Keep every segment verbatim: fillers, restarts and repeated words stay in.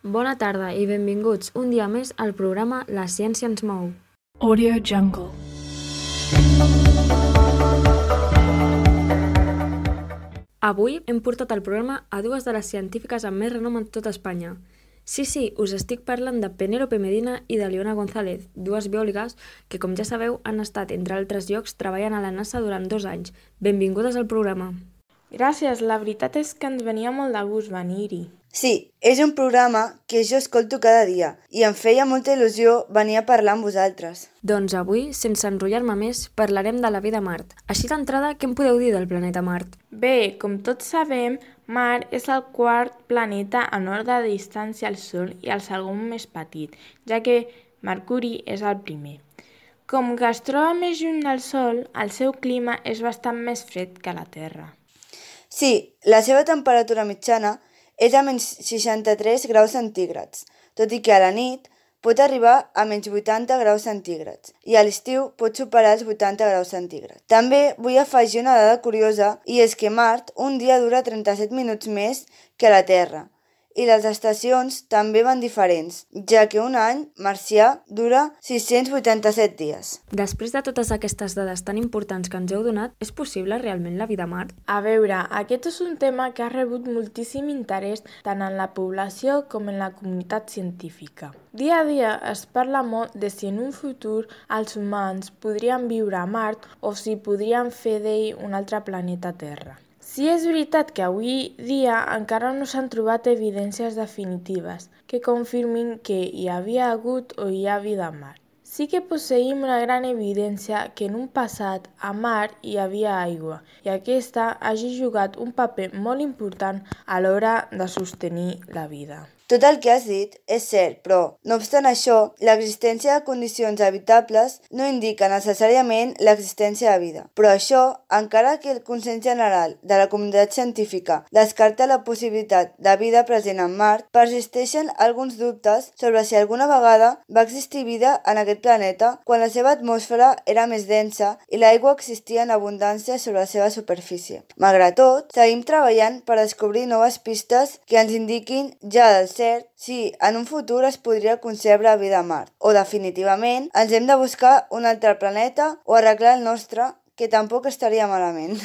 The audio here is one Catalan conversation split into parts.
Bona tarda i benvinguts un dia més al programa La ciència ens mou. Audio Jungle. Avui hem portat al programa a dues de les científiques amb més renom en tota Espanya. Sí, sí, us estic parlant de Penélope Medina i de Leona González, dues biòlogues que, com ja sabeu, han estat, entre altres llocs, treballant a la NASA durant dos anys. Benvingudes al programa. Gràcies, la veritat és que ens venia molt de gust venir-hi. Sí, és un programa que jo escolto cada dia i em feia molta il·lusió venir a parlar amb vosaltres. Doncs avui, sense enrotllar-me més, parlarem de la vida a Mart. Així d'entrada, què em podeu dir del planeta Mart? Bé, com tots sabem, Mart és el quart planeta en ordre de distància al Sol i el segon més petit, ja que Mercuri és el primer. Com que es troba més lluny del Sol, el seu clima és bastant més fred que la Terra. Sí, la seva temperatura mitjana és a menys seixanta-tres graus centígrads, tot i que a la nit pot arribar a menys vuitanta graus centígrads i a l'estiu pot superar els vuitanta graus centígrads. També vull afegir una dada curiosa i és que Mart un dia dura trenta-set minuts més que la Terra i les estacions també van diferents, ja que un any marcià dura sis-cents vuitanta-set dies. Després de totes aquestes dades tan importants que ens heu donat, és possible realment la vida a Mart? A veure, aquest és un tema que ha rebut moltíssim interès tant en la població com en la comunitat científica. Dia a dia es parla molt de si en un futur els humans podrien viure a Mart o si podrien fer d'ell un altre planeta Terra. Sí és veritat que avui dia encara no s'han trobat evidències definitives que confirmin que hi havia hagut o hi ha vida a Mart. Sí que posseïm una gran evidència que en un passat a Mart hi havia aigua i aquesta hagi jugat un paper molt important a l'hora de sostenir la vida. Tot el que has dit és cert, però, no obstant això, l'existència de condicions habitables no indica necessàriament l'existència de vida. Però això, encara que el consens general de la comunitat científica descarta la possibilitat de vida present en Mart, persisteixen alguns dubtes sobre si alguna vegada va existir vida en aquest planeta quan la seva atmosfera era més densa i l'aigua existia en abundància sobre la seva superfície. Malgrat tot, seguim treballant per descobrir noves pistes que ens indiquin ja del cert si en un futur es podria concebre vida a Mart, o definitivament ens hem de buscar un altre planeta o arreglar el nostre, que tampoc estaria malament.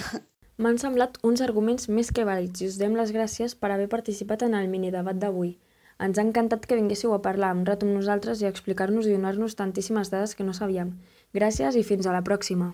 M'han semblat uns arguments més que vàlids i us donem les gràcies per haver participat en el minidebat d'avui. Ens ha encantat que vinguéssiu a parlar un rato amb nosaltres i a explicar-nos i donar-nos tantíssimes dades que no sabíem. Gràcies i fins a la pròxima.